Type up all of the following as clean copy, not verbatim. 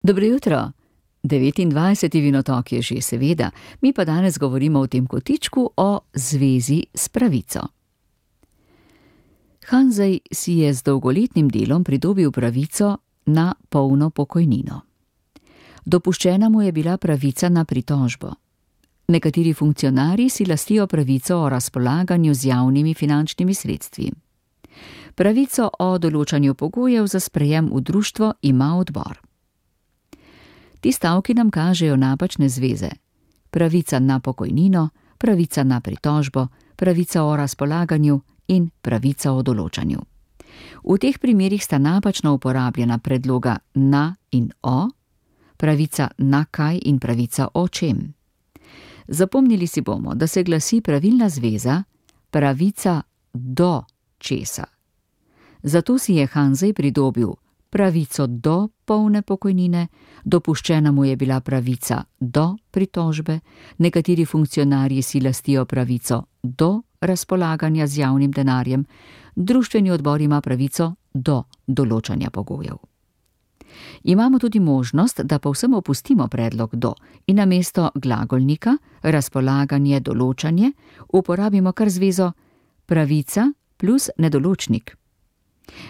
Dobro jutro. 29. vinotok je že seveda, mi pa danes govorimo v tem kotičku o zvezi s pravico. Hanzej si je z dolgoletnim delom pridobil pravico na polno pokojnino. Dopuščena mu je bila pravica na pritožbo. Nekateri funkcionarji si lastijo pravico o razpolaganju z javnimi finančnimi sredstvi. Pravico o določanju pogojev za sprejem v društvo ima odbor. Ti stavki nam kažejo napačne zveze. Pravica na pokojnino, pravica na pritožbo, pravica o razpolaganju in pravica o določanju. V teh primerih sta napačno uporabljena predloga na in o, pravica na kaj in pravica o čem. Zapomnili si bomo, da se glasi pravilna zveza pravica do česa. Zato si je Hanzej pridobil pravico do polne pokojnine, dopuščena mu je bila pravica do pritožbe, nekateri funkcionarji si lastijo pravico do razpolaganja z javnim denarjem, društveni odbor ima pravico do določanja pogojev. Imamo tudi možnost, da povsem opustimo predlog do in namesto glagolnika, razpolaganje, določanje, uporabimo kar zvezo pravica plus nedoločnik.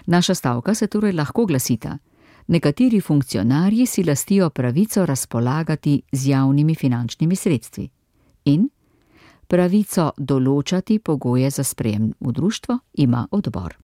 Naša stavka se torej lahko glasita: nekateri funkcionarji si lastijo pravico razpolagati z javnimi finančnimi sredstvi in pravico določati pogoje za sprejem v društvo ima odbor.